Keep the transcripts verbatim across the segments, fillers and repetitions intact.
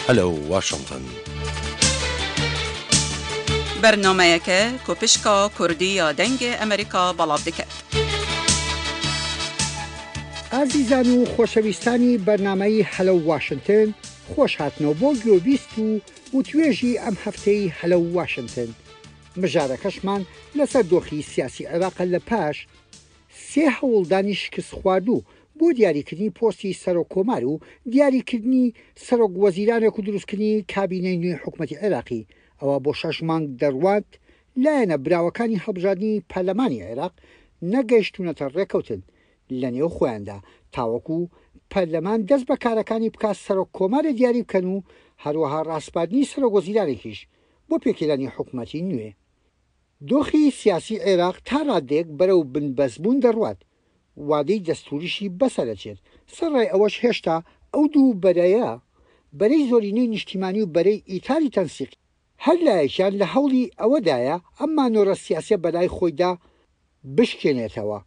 Hello Washington. بەرنامەیەکە کو پشکا کوردی یا دەنگێ ئەمریکا بەڵاو دکەت. ئازیزان و خۆشەویستانی بەرنامەی Hello Washington، خۆش هاتنەوە بۆ گوێبیست و وتوێژی ئەم هەفتەی Hello Washington. مژارەکەشمان لەسەر دۆخی سیاسی عێراقە لە پاش سێ هەوڵدانی شکست خواردوو بۆ دیاریکردنی پۆستی سەرۆک کۆمار و دیاریکردنی سەرۆک وەزیرانێک و دروستکردنی کابینەی نوێی حکوومەتی عێراقی. ئەوە بۆ شەش مانگ دەڕوات لایەنە براوەکانی هەڵبژاردنی پەرلەمانی عێراق نەگەیشتونەتە ڕێکەوتن لە نێو خۆیاندا تاوەکو پەرلەمان دەست بە کارەکانی بکات سەرۆک کۆمارێ دیاری بکەن و هەروەها ڕاسپاردنی سەرۆک وەزیرانێکیش بۆ پێکهێنانی حکوومەتی نوێ. دۆخی سیاسی عێراق تا ڕادێک بەرەو بنبەستبوون دەڕوات، وادەی دەستوریشی بەسەرەچێت. سەرڕای ئەوەش هێشتا ئەو دوو بەرەیە، بەرەی زۆرینەی نیشتیمانی و بەرەی ئیتاری تەنسیقی، هەر لایەکیان لە هەوڵی ئەوەدایە ئەم مانۆرە سیاسیە بەلای خۆیدا بشکێنێتەوە.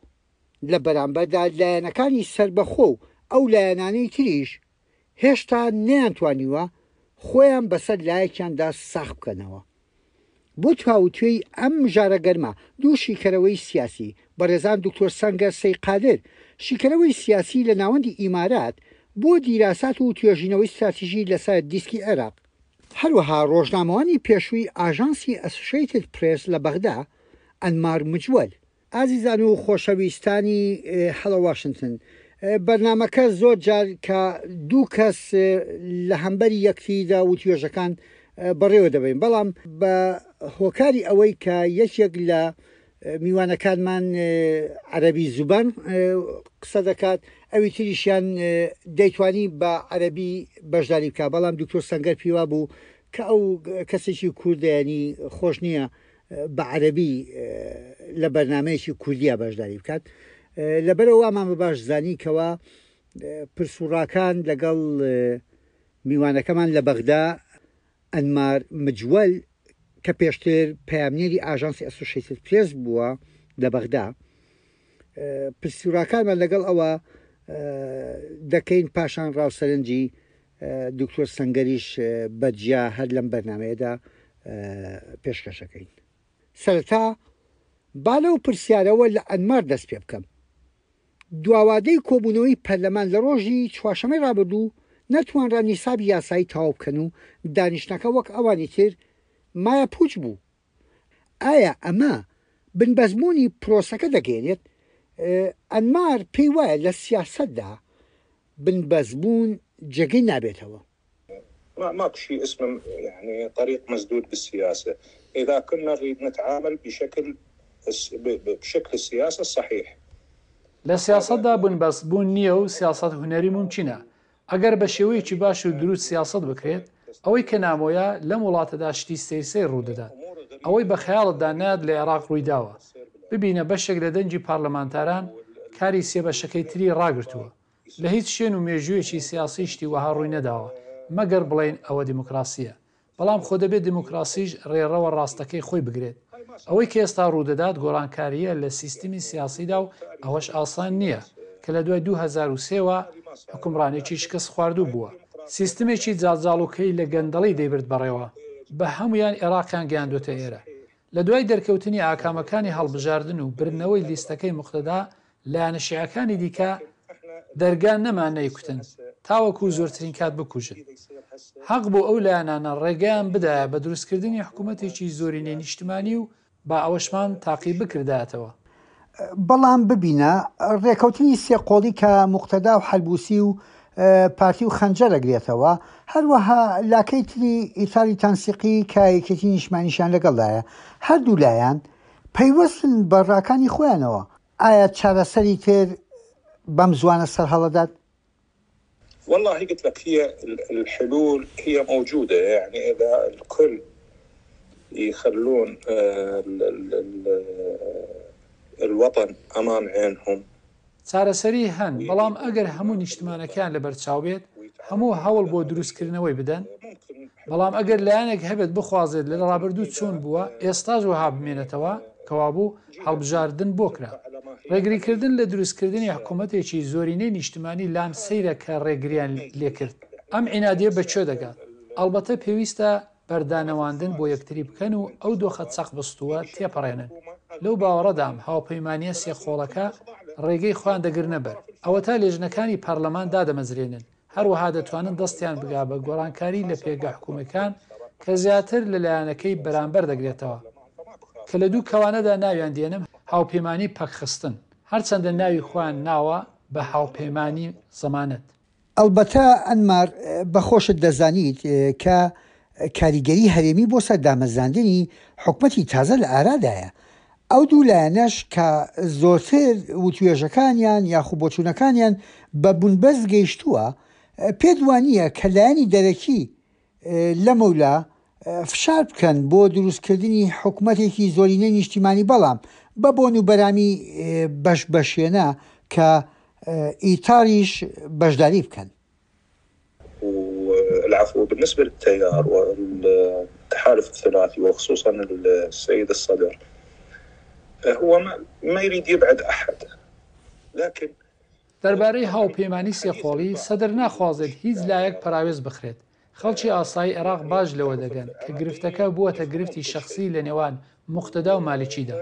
لە بەرامبەردا لایەنەکانی سەربەخۆ و ئەو لایەنانەی تریش هێشتا نەیانتوانیوە خۆیان بەسەر لایەکیاندا ساخ بکەنەوە. بۆ تاوتوێی ئەم مژارە گەرمە دوو شیکەرەوەی سیاسی، بەڕێزان دکتۆر سەنگەر سەی قادر، شیکەرەوەی سیاسی لە ناوەندی ئیمارات بۆ دیراسات و توێژینەوەی ستراتیژی لەسەر دیسکی عێراق، هەروەها ڕۆژنامەوانی پێشووی ئاژانسی ئەسۆشیتد پرێس لە بەغدا، ئەنمار مجوەل. ئازیزان و خۆشەویستانی Hello Washington، بەرنامەکە زۆر جار کە دوو کەس لە هەمبەری یەکتریدا وتوێژەکان بەڕێوە دەبین، بەڵام بە هۆکاری ئەوەی کە یەکێک لە میوانەکانمان عەرەبی زوبان قسە دەکات، ئەوی تریشیان دەیتوانی بە عەرەبی بەشداری بکات، بەڵام دکتۆر سەنگەر پیوا بوو کە ئەو کەسێکی کوردیانی خۆش نییە بە عەرەبی لە بەرنمەیەکی کوردیا بەشداری بکات. لەبەرەوە وامان بە باش زانی کەوا پرسوڕاکان لەگەڵ میوانەکەمان لە بەغدا ئەنمار مجوەل کە پێشتر پەیامنێری ئاژانسی ئەسۆشیتد پرێس بووە لە بەغدا، پرسوڕاکانمان لەگەڵ ئەوە دەکەین. پاشان ڕاوسەرنجی دکتۆر سەنگەریش بەجیا هەر لەم بەرنمەیەدا پێشکەشەکەین. سەرەتا با لەو پرسیارەوە لە ئەنمار دەست پێ بکەم. دواوادەی کۆبوونەوەی پەرلەمان لە ڕۆژی چوارشەممەی ڕابردوو نەتوانرا نیسابی یاسایی تەواو بکەن و دانیشتنەکە وەک ئەوانی تر مایە پوچ بوو. ئایا ئەمە بنبەستبوونی پرۆسەکە دەگەێنێت؟ ئەنمار پێی وایە لە سیاسەتدا بنبەستبوون جێگەی نابێتەوە. ما ماكو شيء اسمه يعني طريق مسدود بالسياسة إذا كنا نريد نتعامل بشكل بشكل السياسة الصحيح. لە سیاسەتدا بنبەستبوون نییە و سیاسەت هونەری مومکینە. ئەگەر بە شێوەیەکی باش و دروست سیاسەت بکرێت، ئەوەی کە نامۆیە لەم وڵاتەدا شتی سەیر سەیر ڕوودەدات. ئەوەی بە خەیاڵتدا نایەت لە عێراق ڕوویداوە. ببینە بەشێک لە دەنگی پارلەمانتاران کاری سێ بەشەکەی تری ڕاگرتووە. لە هیچ شوێن و مێژوویەکی سیاسی شتی وەها ڕووی نەداوە، مەگەر بڵێن ئەوە دیموکراسیە. بەڵام خۆ دەبێت دیموکراسیش ڕێڕەوە ڕاستەکەی خۆی بگرێت. ئەوەی کە ئێستا ڕوودەدات گۆڕانکاریە لە سیستمی سیاسیدا و ئەوەش ئاسان نییە کە لە دوای دوو هەزار و سێ وە حکومڕانێکی شکست خواردوو بووە. سیستمێکی جاڵجاڵۆکەی لە گەندەڵی دەیبرد بەڕێوە، بە هەمویان عێراقیان گەیاندوێتە ئێرە. لە دوای دەرکەوتنی ئاکامەکانی هەڵبژاردن و بردنەوەی لیستەکەی مقتەدا، لایەنە شیعەکانی دیکە دەرگا نەما نەیکوتن تاوەکو زۆرترین کات بکوژن. حەق بۆ ئەو لایەنانە ڕێگەیان بدایە بە دروستکردنی حکوومەتێکی زۆرینەی نیشتمانی و با ئەوەشمان تاقی بکردایەتەوە. بەڵام ببینە ڕێکەوتنی سێ قۆڵی کە مقتەدا و حەلبوسی و پارتی و خەنجەر ئەگرێتەوە، هەروەها لاکەی تری ئیتاری تەنسیقی کە یەکێتی نیشتمانیشیان لەگەڵدایە، هەردوو لایەن پەیوەستن بە ڕاکانی خۆیانەوە. ئایا چارەسەری تر بەم زوانە سەرهەڵەدات؟ والله قلت لك هي الحلول هي موجودة، يعني إذا الكل يخلون الوطن أمام عينهم. چارەسەری هەن، بەڵام ئەگەر هەموو نیشتمانەکان لەبەرچاو بێت، هەموو هەوڵ بۆ دروستکردنەوەی بدەن. بەڵام ئەگەر لایەنێک هەبێت بخوازێت لە ڕابردوو چۆن بووە ئێستاش وەها بمێنێتەوە، کەوابوو هەڵبژاردن بۆ کرا. ڕێگریکردن لە دروستکردنی حکوومەتێکی زۆرینەی نیشتمانی لام سەیرە کە ڕێگریان لێکرد. ئەم عینادیە بەکوێ دەگات؟ ئەڵبەتە پێویستە بەردانەواندن بۆ یەکتری بکەن و ئەو دۆخە چەقبەستووە تێپەڕێنن. لەو باوەڕەدام هاوپەیمانییە سێ قۆڵەکە ڕێگەی خۆیان دەگرنە بەر. ئەوەتا لێژنەکانی پەرلەمان دادەمەزرێنن، هەروەها دەتوانن دەستیان بگا بە گۆڕانکاری لە پێگە حکومییەکان کە زیاتر لە لایەنەکەی بەرامبەر دەگرێتەوە، کە لە دوو کەوانەدا ناویان دێنم هاوپەیمانی پەکخستن، هەرچەندە ناوی خۆیان ناوە بە هاوپەیمانی زەمانەت. ئەڵبەتە ئەنمار بە خۆشت دەزانیت کە کاریگەری هەرێمی بۆ سەر دامەزراندنی حکومەتی تازە لە ئارادایە. ئەو دوو لایەنەش کە زۆرتر وتوێژەکانیان یاخو بۆچوونەکانیان بە بنبەست گەیشتووە، پێت وانییە کە لایەنی دەرەکی لەمەولا فشار بکەن بۆ دروستکردنی حکومەتێکی زۆرینەی نیشتیمانی بەڵام بە بۆن و بەرامی بەش بەشێنە کە ئیتاریش بەشداری بکەن؟ العفو بالنسبة للتيار والتحالف الثلاثي وخصوصا السيد الصدر هو ما, ما يريد يبعد أحد لكن دەربارەی هاوپەیمانی سێقۆڵی، سەدر ناخوازێت هیچ لایەک پەراوێز بخرێت. خەڵکی ئاسایی عێراق باش لەوە دەگەن کە گرفتەکە بووەتە گرفتی شەخسی لە نێوان موقتەدا و مالیکیدا.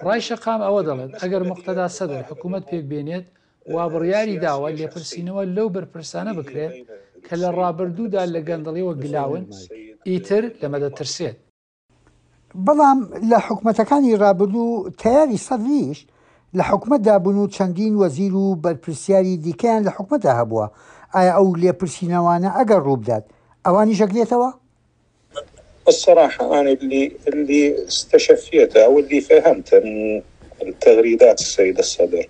ڕای شەقام ئەوە دەڵێت ئەگەر موقتەدا سەدر حکوومەت پێک بێنێت وا بڕیاری داوە لێپرسینەوە لەو بەرپرسانە بکرێت کە لە ڕابردوودا لە گەندەڵیەوە گلاون، ئیتر لەمە دەترسێت. بەڵام لە حکومەتەکانی ڕابردوو تەیاری سەدریش لە حکومەتدا بوون و چەندین وەزیر و بەرپرسیاری دیکەیان لە حکومەتدا هەبووە. ئایا ئەو لێپرسینەوانە ئەگەر ڕووبدات ئەوانیش ئەگرێتەوە؟ الصراحة أنا اللي اللي استشفيته أو اللي فهمته من التغريدات السيد الصدر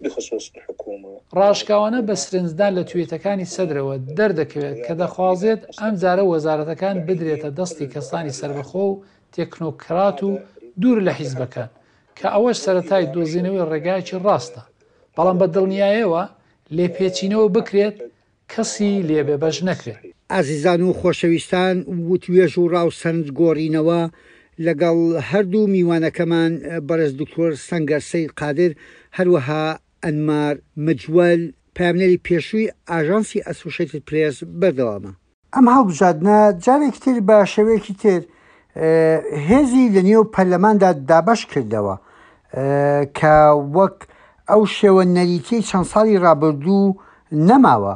بخصوص الحكومة ڕاشکاوانە بە سرنجدان لە تویتەکانی سەدرەوە دەردەکەوێت کە دەخوازێت ئەم جارە وەزارەتەکان بدرێتە دەستی کەسانی سەربەخۆ و تێکنۆکرات و دوور لە حیزبەکان، کە ئەوەش سەرەتای دۆزینەوەی ڕێگایەکی ڕاستە، بەڵام بە دڵنیایەوە لێپێچینەوە بکرێت کەسی لێبێ بەش نەکرێت. ئازیزان و خۆشەویستان، وتوێژ و ڕاو سەرنج گۆڕینەوە لەگەڵ هەردوو میوانەکەمان بەڕێز دکتۆر سەنگەر سەید قادر، هەروەها ئەنمار مجوەل، پەیامنێری پێشووی ئاژانسی ئەسۆشیتد پرێس بەردەوامە. ئەم هەڵبژاردنە جارێکی تر بە شێوەیەکی تر هێزی لە نێو پەرلەماندا دابەش کردەوە کە وەک ئەو شێوە نەریتیەی چەند ساڵی ڕابردوو نەماوە،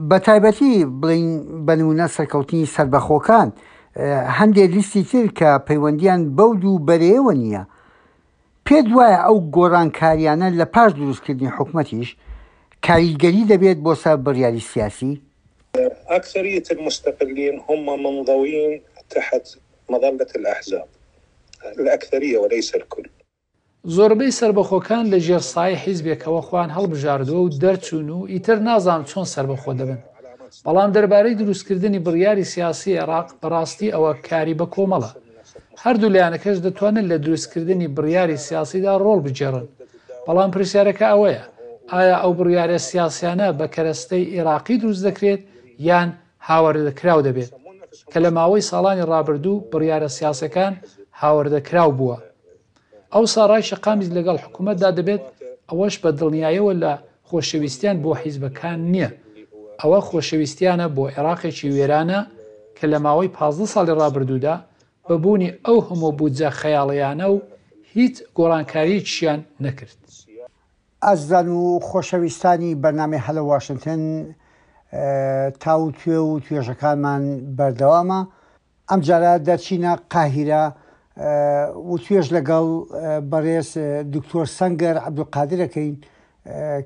بە تایبەتی بڵین بە نمونە سەرکەوتنی سەربەخۆکان، هەندێک لیستی تر کە پەیوەندیان بەو دوو بەرەیەوە نییە. پێت وایە ئەو گۆڕانکاریانە لە پاش دروستکردنی حکومەتیش کاریگەری دەبێت بۆ سەر بڕیاری سیاسی؟ أكثرية المستقلين هم منضوين تحت مظلة الأحزاب، الأكثرية وليس الكل. زۆربەی سەربەخۆکان لە ژێر سایەی حیزبێکەوە خۆیان هەڵبژاردووە و دەرچوون و ئیتر نازانم چۆن سەربەخۆ دەبن. بەڵام دەربارەی دروستکردنی بڕیاری سیاسی عێراق بەڕاستی ئەوە کاری بە کۆمەڵە. هەردوو لایەنەکەش دەتوانن لە دروستکردنی بڕیاری سیاسیدا ڕۆڵ بگێڕن. بەڵام پرسیارەکە ئەوەیە ئایا ئەو بڕیارە سیاسیانە بە کەرەستەی عێراقی دروست دەکرێت یان هاوردەکراو دەبێت، کە لە ماوەی ساڵانی ڕابردوو بڕیارە سیاسەکان هاوردەکراو بووە. ئەو ساڕای شەقامیش لەگەڵ حکوومەتدا دەبێت، ئەوەش بە دڵنیایەوە لە خۆشەویستیان بۆ حیزبەکان نییە. ئەوە خۆشەویستیانە بۆ عێراقێکی وێرانە کە لە ماوەی پازدە ساڵی ڕابردوودا بە بوونی ئەو هەموو بودجە خەیاڵیانە و هیچ گۆڕانکارییەکیان نەکرد. ئازیزان و خۆشەویستانی بەرنامەی هەلە واشنگتن، تاوتوێ و توێژەکانمان بەردەوامە. ئەمجارە دەرچینە قاهیرە وتوێژ لەگەڵ بەڕێز دکتۆر سەنگەر عەبدولقادرەکەین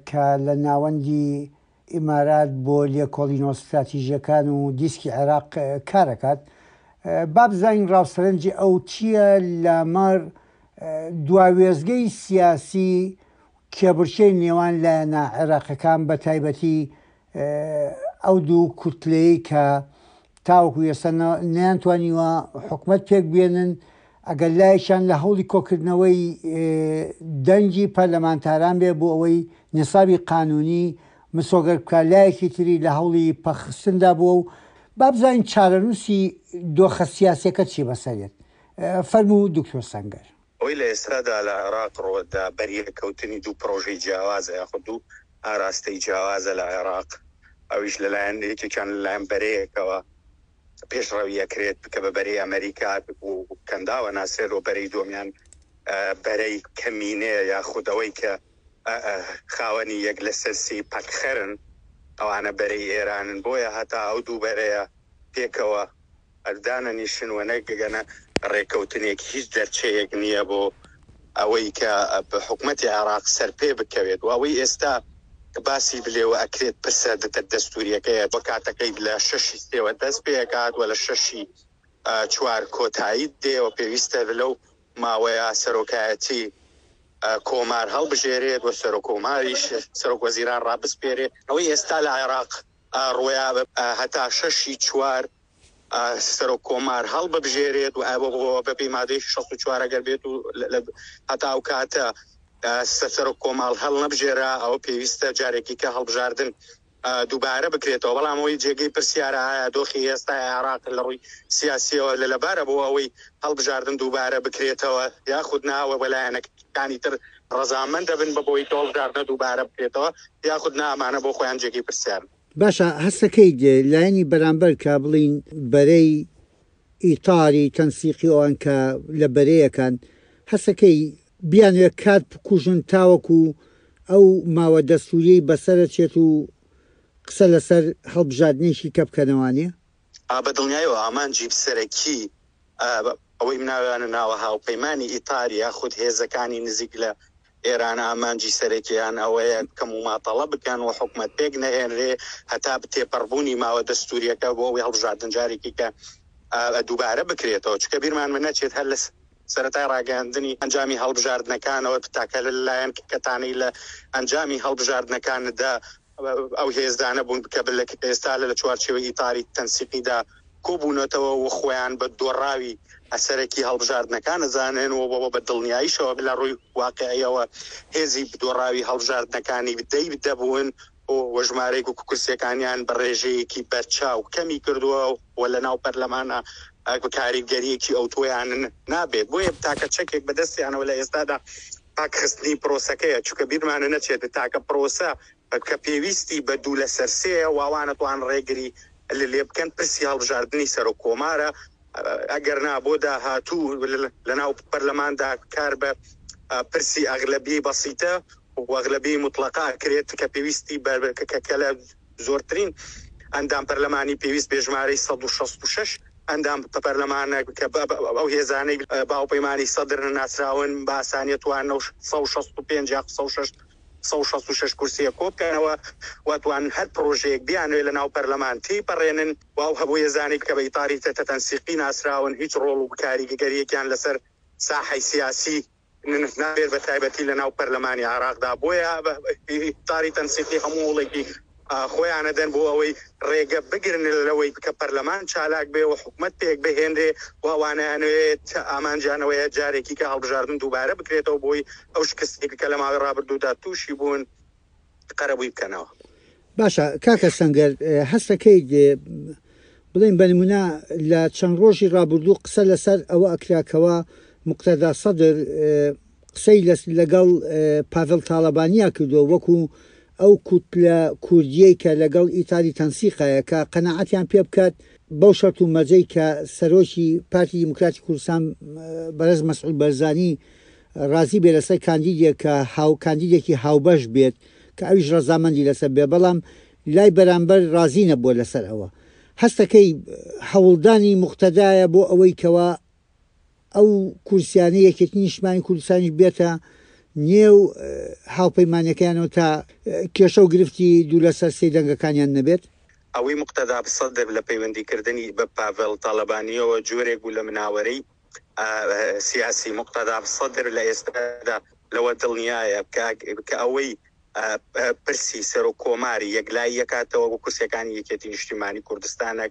کە لە ناوەندی ئیمارات بۆ لێکۆڵینەوە ستراتیژیەکان و دیسکی عێراق کارەکات. با بزانین ڕاوسەرنجی ئەو چییە لەمەڕ دواوێزگەی سیاسی کێبڕکێی نێوان لایەنە عێراقەکان، بە تایبەتی ئەو دوو کوتلەی کە تاوەکو ئێستا نەیانتوانیوە حکومەت پێک بێنن، ئەگەر لایەکیان لە هەوڵی کۆکردنەوەی دەنگی پەرلەمانتاران بێ بۆ ئەوەی نسابی قانونی مسۆگەر بکات، لایەکی تری لە هەوڵی پەخستندا بووە و با بزانین چارەنووسی دۆخە سیاسیەکە چی بەسەرێت. فەرموو دکتۆر سەنگەر. ئەوەی لە ئێستادا لە عێراق ڕۆدا بەریەکەوتنی دوو پرۆژەی جیاوازە یاخود دوو ئاراستەی جیاوازە لە عێراق. ئەویش لەلایەن یەکێکیان لەلایەن بەرەیەکەوە پێشڕەوی ئەکرێت کە بە بەرەی ئەمریکا و کەنداوە ناسرێت و بەرەی دووەمیان بەرەی کەمینەیە یاخود ئەوەی کە خاوەنی یەک لەسەر سی پەکخەرن ئەوانە بەرەی ئێرانن. بۆیە هەتا ئەو دوو بەرەیە پێکەوە دانەنیشن و نەگەنە ڕێککەوتنێک هیچ دەرچەیەک نییە بۆ ئەوەی کە حکومەتی عێراق سەرپێ بکەوێت. و ئەوەی ئێستا باسی بلێوە ئەکرێت پرسە دەستوریەکەیە بۆ کاتەکەی لە شەشی سێوە دەست پێکات و لە شەشی چوار کۆتایی دێ و پێویستە لەو ماوەیە سەرۆکایەتی کۆمار هەڵبژێرێت و سەرۆک کۆماریش سەرۆک وەزیران ڕابسپێرێت. ئەوەی ئێستا لە عێراق ڕۆیا هەتا شەشی چوار سەرۆک کۆمار هەڵببژێرێت و بەپێی مادەی شەست و چوار ئەگەر بێت و هەتا ئەو کاتە سەرۆک کۆماڵ هەڵ نەبژێرا ئەوە پێویستە جارێکی کە هەڵبژاردن دووبارە بکرێتەوە. بەڵام ئەوەی جێگەی پرسیارە ئایا دۆخی ئێستا عێراق لە ڕووی سیاسیەوە لە لەبارە بۆ ئەوەی هەڵبژاردن دووبارە بکرێتەوە یاخود ناوە بەلایەنەکانی تر ڕەزامەند دەبن بە بۆی هەڵبژاردنە دووبارە بکرێتەوە یاخود نامانە بۆ خۆیان جێگەی پرسیارن. باشە هەستەکەی لایەنی بەرامبەر کە بڵین بەرەی ئیتاری تەنسیقی ئەوان کە لە بەرەیەکان هەستەکەی بیانوێ کات بکوژن تاوەکو ئەو ماوە دەستوریەی بەسەرە چێت و قسە لەسەر هەڵبژاردنێکی کە بکەنەوانێ؟ بە دڵنیایەوە ئامانجی سەرەکی ئەوەی مناویانە ناوە هاوپەیمانی ئیتاری یاخود هێزەکانی نزیک لە ئێران ئامانجی سەرەکیان ئەوەیە کەم و ماتەڵە بکەن و حکومەت پێک نەهێنرێ هەتا تێپەڕبوونی ماوە دەستوریەکە بۆ ئەوەی هەڵبژاردن جارێکی کە دووبارە بکرێتەوە. چونکە بیرمان من نەچێت هەر لە سەرەتای ڕاگەیاندنی ئەنجامی هەڵبژاردنەکانەوە تاکە لەلایەن کەتانەی لە ئەنجامی هەڵبژاردنەکاندا ئەو هێزدانە بوون کە ئێستا لە چوارچێوەی ئیتاری تەنسیقیدا کۆبوونەتەوە و خۆیان بە دۆڕاوی ئەسەرەکی هەڵبژاردنەکان ئەزانن و بۆ بە دڵنیاییشەوە لە ڕووی واقعیەوە هێزی دۆڕاوی هەڵبژاردنەکانی دەی دەبوون و ژمارەیەک و کورسیەکانیان بە ڕێژەیەکی بەرچاو کەمی کردووە و لە ناو پەرلەمانە کاریگەریەکی ئەوتۆیان نابێت. بۆیە تاکە چەکێک بەدەستیانەوە لە ئێستادا پاکخستنی پرۆسەکەیە، چونکە بیرمانە نەچێت تاکە پرۆسە کە پێویستی بە دوو لەسەر سێیە واوانە توان ڕێگری لێ بکەن پرسی هەڵبژاردنی سەرۆک کۆمارە. ئەگەر نا بۆ داهاتوو لەناو پەرلەماندا کار بە پرسی ئەغلەبی بەسیتە و ئەغلەبی مطلقە کرێت کە پێویستی کە لە زۆرترین ئەندام پەرلەمانی پێویست بێژمارەی سەد و شەست و شەش ئەندام پەرلەمانە کە ئەو هێزانەی باوپەیمانی سەدر ناسراون بە ئاسانیە توانەوە سەد و شەست و پێنج یاخود سەد و شەست سەد و شەست و شەش کورسیە کۆ بکەنەوە و توان هەر پرۆژەیەک بیانوێ لە ناو پەرلەمان تێپەڕێنن و ئەو هەبوو هێزانەی کە بە ئیتاری تەنسیقی ناسراون هیچ ڕۆڵ و کاریگەریەکیان لەسەر ساحەی سیاسی نابێت بە تایبەتی لە ناو پەرلەمانی عێراقدا. بۆیە ئیتاری تەنسیقی هەموو هەوڵێکی خۆیانە دەن بۆ ئەوەی ڕێگە بگرن لەوەی کە پەرلەمان چالاک بێ و حکومەت پێک بهێنرێ و ئەوانەیانوێت ئامانجیانەوەیە جارێکی کە هەڵبژاردن دووبارە بکرێتەوە بۆی ئەو شکستێک کە لە ماوەی ڕابردوودا تووشی بوون قەرەبووی بکەنەوە. باشە کاکە سەنگەر، هەستەکەی بڵێن بە نمونە لە چەند ڕۆژی ڕابردوو قسە لەسەر ئەوە ئەکراکەوە مقتەدا سەدر قسەی لەگەڵ پاڤڵ تاڵەبانیا کردووە وەکو ئەو کوتلە کوردیەی کە لەگەڵ ئیتاری تەنسیقایە کە قەناعەتیان پێ بکات بەو شەرت و مەرجەی کە سەرۆکی پارتی دیموکراتی کوردستان بەرز مەسعود بەرزانی ڕازی بێ لەسەر کاندیدێک کە هاو کاندیدێکی هاوبەش بێت کە ئەویش ڕەزامەندی لەسەر بێ، بەڵام لای بەرامبەر ڕازی نەبووە لەسەر ئەوە. هەستەکەی هەوڵدانی مقتەدایە بۆ ئەوەی کەوا ئەو کورسیانە یەکێتی نیشتمانی کوردستانیش بێتە نێو هاوپەیمانەکەیانەوە تا کێشە و گرفتی دوو لەسەر سێ دەنگەکانیان نەبێت؟ ئەوەی مقتەدا سەدر لە پەیوەندیکردنی بە پاڤێڵ تاڵەبانیەوە جۆرێک بوو لە مناوەرەی سیاسی. مقتەدا سەدر لە ئێستادا لەوە دڵنیایە کە ئەوەی پرسی سەرۆک کۆماری یەکلایی یەکاتەوە بۆ کورسیەکانی یەکێتی نیشتیمانی کوردستانە،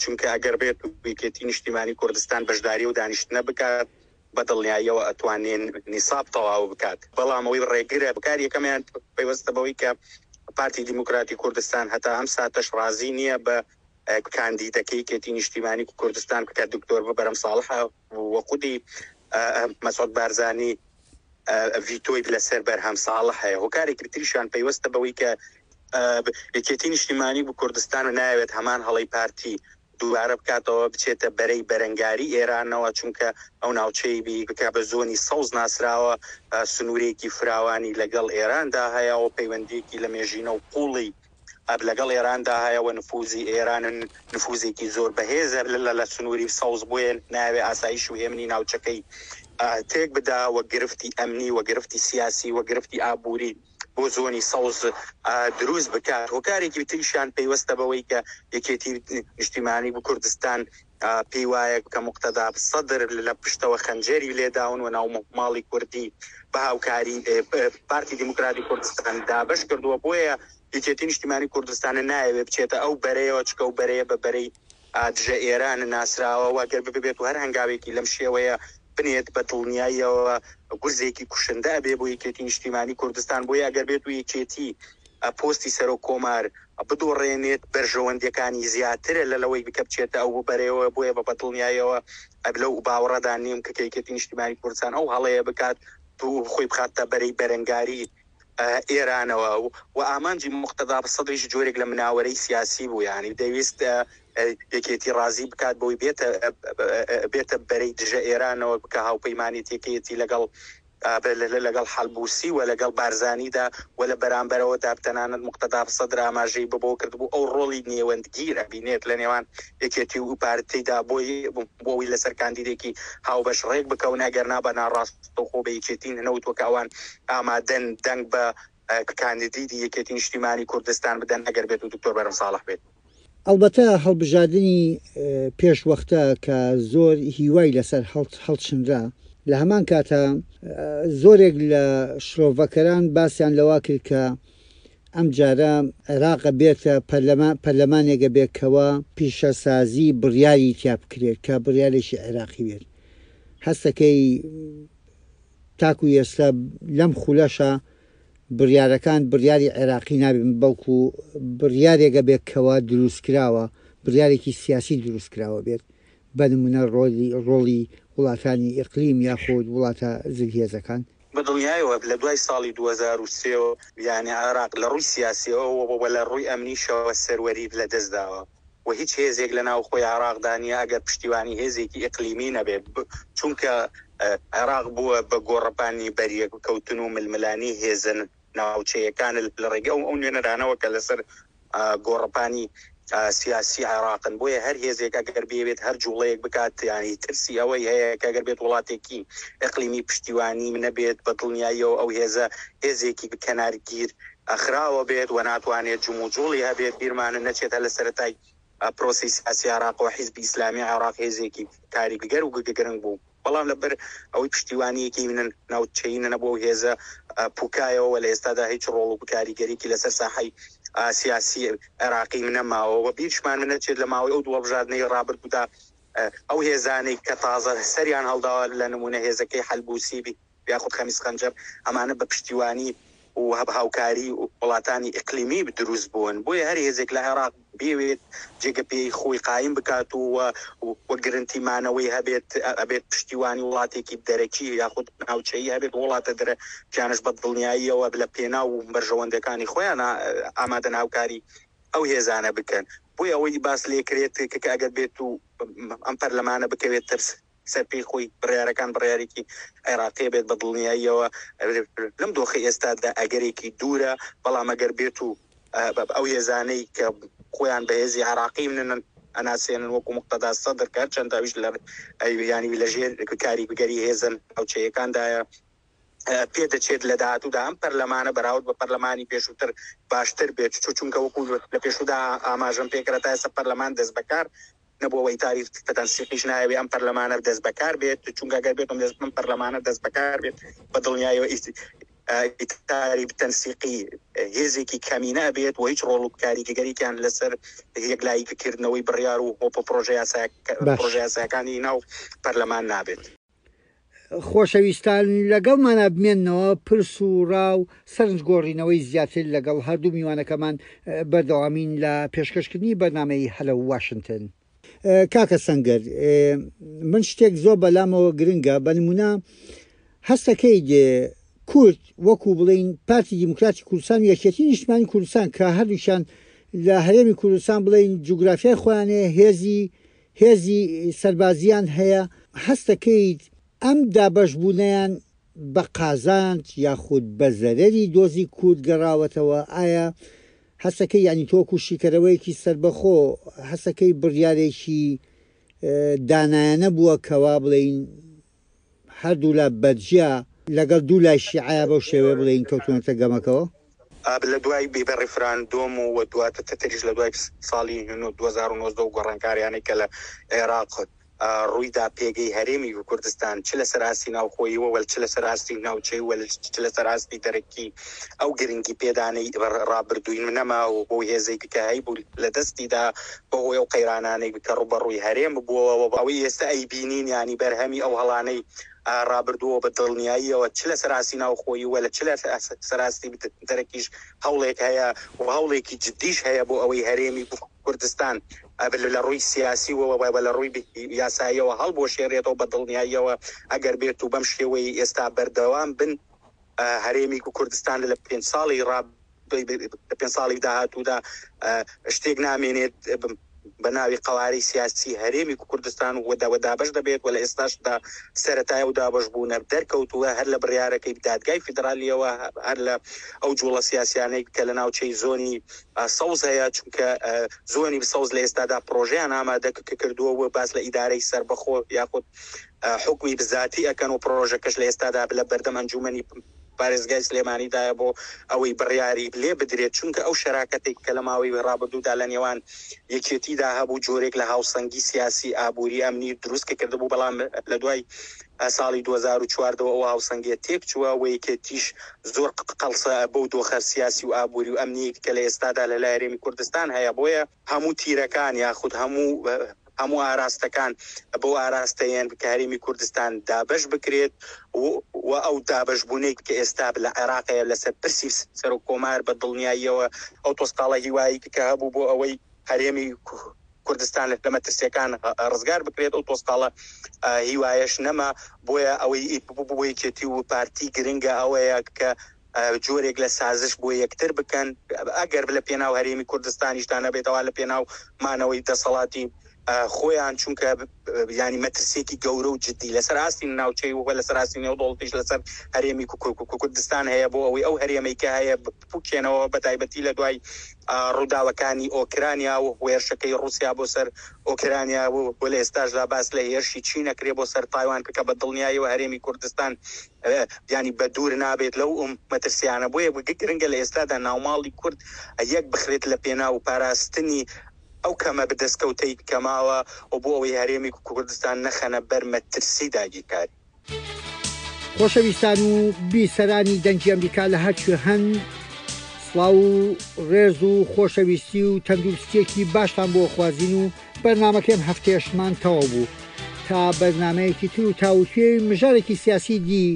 چونکە ئەگەر بێت یەکێتی نیشتیمانی کوردستان بەشداری و دانیشتنە بکات بە دڵنیاییەوە ئەتوانێن نیساب تەواو بکات. بەڵام ئەوەی ڕێگرە بکار یەکەمیان پەیوەستە بەوەی کە پارتی دیموکراتی کوردستان هەتا ئەم ساتەش ڕازی نییە بە کاندیدەکەی یەکێتی نیشتیمانی کوردستان کە دکتۆر بەرەم ساڵحە و خودی مەسعود بارزانی ڤیتۆی لەسەر بەرهەم ساڵح هەیە. هۆکارێکی تریشیان پەیوەستە بەوەی کە یەکێتی نیشتیمانی بۆ کوردستان و ناوێت هەمان هەڵەی پارتی دووبارە بکاتەوە، بچێتە بەرەی بەرەنگاری ئێرانەوە، چونکە ئەو ناوچەی بکە بە زۆنی سەوز ناسراوە، سنوورێکی فراوانی لەگەڵ ئێراندا هەیە و پەیوەندیەکی لە مێژینە و قوڵی لەگەڵ ئێراندا هەیە و نفوزی ئێران نفوزێکی زۆر بەهێزە لە سنووری سەوز، بۆیە ناوێ ئاسایش و هێمنی ناوچەکەی تێک بدا و گرفتی ئەمنی و گرفتی سیاسی و گرفتی ئابووری بۆ زۆنی سەوز دروست بکات. هۆکارێکی تریشیان پەیوەستە بەوەی کە یەکێتی نیشتیمانی بۆ کوردستان پێی وایە کە مقتەدا سەدر لە پشتەوە خەنجەری لێداون و ناو ماڵی کوردی بە هاوکاری پارتی دیموکراتی کوردستان دابەش کردووە، بۆیە یەکێتی نیشتیمانی کوردستان نایەوێت بچێتە ئەو بەرەیەوە، چکە و بەرەیە بە بەرەی دژە ئێران ناسراوە و ئەگەر ببێت و هەر هەنگاوێکی لەم شێوەیە بنێت بە دڵنیاییەوە گورزێکی کوشندە ئەبێ بۆ یەکێتی نیشتیمانی کوردستان. بۆیە ئەگەر بێت و یەکێتی پۆستی سەرۆک کۆمار بدۆڕێنێت بەرژەوەندیەکانی زیاترە لە لەوەی بکە بچێتە ئەو بەرەیەوە، بۆیە بە دڵنیاییەوە لەو باوەڕەدا نیم کە یەکێتی نیشتیمانی کوردستان ئەو هەڵەیە بکات و خۆی بخاتە بەرەی بەرەنگاری ئێرانەوە. و ئامانجی مقتەدا سەدریش جۆرێک لە مناوەرەی سیاسی بوو، یعنی دەویست یەکێتی ڕازی بکات بۆی بێتە بێتە بەرەی دژە ئێرانەوە، بکە هاوپەیمانێتیەکەیەتی لەگەڵ لەگەڵ حەلبوسی و لەگەڵ بارزانیدا و لە بەرامبەرەوە دابتەنانەت مقتەدا سەدر ئاماژەی بە بۆ کردبوو ئەو ڕۆڵی نێوەندگیر ئەبینێت لە نێوان یەکێتی و پارتیدا بۆی بۆ ئەوەی لەسەر کاندیدێکی هاوبەش ڕێک بکەون، ئەگەر نا بە ناڕاستەوخۆ بە یەکێتی نەوتوە کە ئەوان ئامادەن دەنگ بە کاندیدی یەکێتی نیشتیمانی کوردستان بدەن ئەگەر بێت و دکتۆر بەرهەم ساڵح بێت. ئەلبەتە هەڵبژاردنی پێش وەختە کە زۆر هیوای لەسەر هەڵچنرا، لە هەمان کاتە زۆرێک لە شرۆڤەکەران باسیان لەوا کرد کە ئەم جارە عێراق بێتە پەرلەمانێکە بێتکەوە پیشەسازی بڕیاری تیا بکرێت کە بڕیارێکی عێراقی بێت. هەستەکەی تاکو ئێستا لەم خولەشە بڕیارەکان بڕیاری عێراقی نابن، بەڵکو بڕیارێکە بێتکەوە دروستکراوە، بڕیارێکی سیاسی دروستکراوە بێت، بە نمونە ڕۆڵی وڵاتانی ئیقلیم یاخود وڵاتە زلهێزەکان. بەدڵنیایەوە لە دوای ساڵی دوو هەزار و سێ یعنی عێراق لە ڕووی سیاسیەوە و لە ڕووی ئەمنیشەوە سەروەری لەدەستداوە و هیچ هێزێک لە ناوخۆی عێراقدا نییە ئەگەر پشتیوانی هێزێکی ئیقلیمی نەبێت، چونکە عێراق بووە بە گۆڕەپانی بەریەککەوتن و ململانی هێزن ناوچەیەکان لە ڕێگە ئەو ئەو نوێنەرانەوە کە لەسەر گۆڕەپانی سیاسی عێراقن. بۆیە هەر هێزێک ئەگەر بێت هەر جوڵەیەک بکات، ینی ترسی ئەوەی هەیە کە ئەگەر بێت وڵاتێکی ئەقلیمی پشتیوانی نەبێت بە دڵنیاییەوە ئەو هێزە هێزێکی کەنارگیر ئەخراوە بێت و ناتوانێت جموجوڵی هەبێت. بیرمانە نەچێتە لە سەرەتای پرۆسی سیاسی عێراق و حیزبی ئیسلامی عێراق هێزێکی کاریگەر و گرنگ بوو، بەڵام لەبەر ئەوەی پشتیوانیەکی ناوچەیی نەبوو هێزە پوکایەوە لە ئێستادا هیچ ڕۆڵ و کاریگەریکی لەسەر ساحەی سیاسی عێراقی نەماوە. و بیرشمان نەچێت لە ماوەی ئەو دوو هەڵبژاردنەی ڕابردوودا ئەو هێزانەی کە تازە سەریان هەڵداوە لە نمونە هێزەکەی حەلبوسی یاخود خەمیس خەنجەر، ئەمانە بە پشتیوانی و هاوکاری وڵاتانی ئیقلیمی دروست بوون. بۆیە هەر هێزێک لە عێراق بێوێت جێگە پێی خۆی قایم بکات و و گرنتی مانەوەی هەبێت، ئەبێت پشتیوانی وڵاتێکی دەرەکی یاخود ناوچەیی هەبێت، وڵاتە دەرەکیانش بە دڵنیاییەوە لە پێناو و بەرژەوەندەکانی خۆیان ئامادەن هاوکاری ئەو هێزانە بکەن. بۆیە ئەوەی باس لێکرێت کە ئەگەر بێت و ئەم پەرلەمانە بکەوێت ترس سەر پێی خۆی بڕیارەکان بڕیارێکی عێراقی بێت بە دڵنیاییەوە لەم دۆخی ئێستادا ئەگەرێکی دوورە، بەڵام ئەگەر بێت و ئەو هێزانەی کە خۆیان بەهێزی عێراقی منن ئەناسێنن وەکو مقتەدا سەدر کە هەرچەند ئەویش لە ینی لەژێر کاریگەری هێزن ناوچەیەکاندایە، پێدەچێت لە داهاتوودا ئەم پەرلەمانە بەراورد بە پەرلەمانی پێشووتر باشتر بێت، چونکە وەکو لە پێشوودا ئاماژەم پێکرا تا ئێستا پەرلەمان دەست بەکار نەبووەوە ئیتاری تەنسیقیش ناوێ ئەم پەرلەمانە دەست بەکار بێت، چونکە ئەگەر بێتم دەست ئەم پەرلەمانە دەست بەکار بێت بە دڵنیاییەوە ئیتاری تەنسیقی هێزێکی کەمینە بێت و هیچ ڕۆڵ و کاریگەریکیان لەسەر یەکلاییکردنەوەی بڕیار و پرۆژە یاساکانی ناو پەرلەمان نابێت. خۆشەویستان لەگەڵمانە بمێننەوە پرس و ڕا و سەرنج گۆڕینەوەی زیاتر لەگەڵ هەردوو میوانەکەمان بەردەوامین لە پێشکەشکردنی بەرنامەی هەلەو واشنگتن. کاکە سەنگەر، من شتێک زۆر بەلامەوە گرنگە، بە نمونە هەستەکەی کورد وەکو بڵین پارتی دیموکراتی کوردستان و یەکێتی نیشتمانی کوردستان کە هەردووکیان لە هەرێمی کوردستان بڵین جوگرافیای خۆیانەیە، هێزی هێزی سەربازیان هەیە، هەستەکەیت ئەم دابەشبوونیان بە قازانج یاخود بە زەرەری دۆزی کورد گەڕاوەتەوە؟ ئایا هەستەکەی یعنی تۆکو شیکەرەوەیەکی سربەخۆ هەستەکەی بڕیارێکی دانایانە بووە کەوا بڵین هەردوولا بەجیا لەگەڵ دوو لای شیعەیە بەو شێوەیە بڵێین کەوتونەتە گەمەکەوە؟ لە دوای بە ڕیفراندۆم و دواتر تریش لە دوای ساڵی دوو هەزار و نۆزدە و گۆڕانکاریانەی کە لە عێراق ڕوویدا پێگەی هەرێمی کوردستان چ لەسەر ئاستی ناوخۆیی وە چ لەسەر ئاستی ناوچەی وە چ لەسەر ئاستی دەرەکی ئەو گرنگی پێدانەی ڕابردووی نەما و بۆ هێزێکی کە هەیبوو لە دەستیدا بەهۆی ئەو قەیرانانەی کە ڕووبەڕووی هەرێم بووەوە ئەوەی ئێستا ئەیبینین ینی بەرهەمی ئەو هەڵانەی ڕابردووە بە دڵنیاییەوە چ لەسەر ئاستی ناوخۆیی وە لە چ لەسەر ئاستی دەرەکیش هەوڵێک هەیە و هەوڵێکی جدیش هەیە بۆ ئەوەی هەرێمی کوردستان لە ڕووی سیاسی وە لە ڕووی یاساییەوە هەڵبوەشێنرێتەوە بە دڵنیاییەوە ئەگەر بێت و بەم شێوەی ئێستا بەردەوام بن هەرێمی کوردستان لە پێنج ساڵی پێنج ساڵی داهاتوودا شتێک نامێنێت بە ناوی قەوارەی سیاسی هەرێمی کوردستان و دابەش دەبێت و لە ئێستاشدا سەرەتای و دابەش بوونە دەرکەوتووە هەر لە بڕیارەکەی دادگای فیدرالیەوە هەر لە ئەو جوڵە سیاسیانەی کە لە ناوچەی زۆنی سەوز هەیە، چونکە زۆنی سەوز لە ئێستادا پرۆژەیان ئامادە کردووە و باس لە ئیدارەی سەربەخۆ یاخود حکومی بزاتی ئەکەن و پرۆژەکەش لە ئێستادا لە بەردەم ئەنجومەنی پارێزگای سلێمانیدایە بۆ ئەوەی بڕیاری لێ بدرێت، چونکە ئەو شەراکەتێک کە لە ماوەی ڕابردوودا لە نێوان یەکێتیدا هەبوو جۆرێک لە هاوسەنگی سیاسی ئابووری ئەمنی دروست کردبوو، بەڵام لە دوای ساڵی دوو هەزار و چواردەوە ئەو هاوسەنگیە تێک چووە و یەکێتیش زۆر قەڵسە بەو دۆخە سیاسی و ئابووری و ئەمنی کە لە ئێستادا لە لای هەرێمی کوردستان هەیە. بۆیە هەموو تیرەکان یاخود هەموو هەموو ئاراستەکان بۆ ئاراستەیەن کە هەرێمی کوردستان دابەش بکرێت و ئەو دابەشبوونەی کە ئێستا لە عێراقەیە لەسەر پرسی سەرۆک کۆمار بە دڵنیاییەوە ئەو تۆسقاڵە هیوایی کە هەبوو بۆ ئەوەی هەرێمی کوردستان لە مەترسیەکان ڕزگار بکرێت ئەو تۆسقاڵە هیوایەش نەما. بۆیە ئەوەی بۆ یەکێتی و پارتی گرنگە ئەوەیە کە جۆرێک لە سازش بۆ یەکتر بکەن، ئەگەر لە پێناو هەرێمی کوردستانیشدا نەبێتەوە لە پێناو مانەوەی دەسەڵاتی خۆیان، چونکە ینی مەترسیەکی گەورە و جدی لەسەر ئاستی ناوچەی و لەسەر ئاستی نێودەوڵەتیش لەسەر هەرێمی کوردستان هەیە بۆ ئەوەی ئەو هەرێمەی کە هەیە بپوکێنەوە، بە تایبەتی لە دوای ڕووداوەکانی ئۆکرانیا و هێرشەکەی ڕووسیا بۆ سەر ئۆکرانیا و لە ئێستاشدا باس لە هێرشی چین ئەکرێ بۆ سەر تایوان کە بە دڵنیاییەوە هەرێمی کوردستان ینی بە دوور نابێت لەو مەترسیانە. بۆیە گرنگە لە ئێستادا ناوماڵی کورد یەک بخرێت لە پێناو پاراستنی ئەو کەمە بەدەستکەوتەی کەماوە و بۆ ئەوەی هەرێمی کوردستان نەخەنە بەر مەترسی داگیرکاری. خۆشەویستان و بیسەرانی دەنگی ئەمریکا لە هەرکوێ هەن، سڵاو و ڕێز و خۆشەویستی و تەندروستیەکی باشتان بۆ خوازین و بەرنامەکەم هەفتەیەشمان تەواو بوو. تا بەرنمەیەکی تر و تاوتوێی مژارێکی سیاسی دی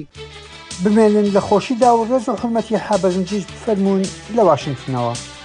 بمێنن لە خۆشیدا و ڕێز و حرمەتی حەبەزنجیش بفەرموون لە واشنگتنەوە.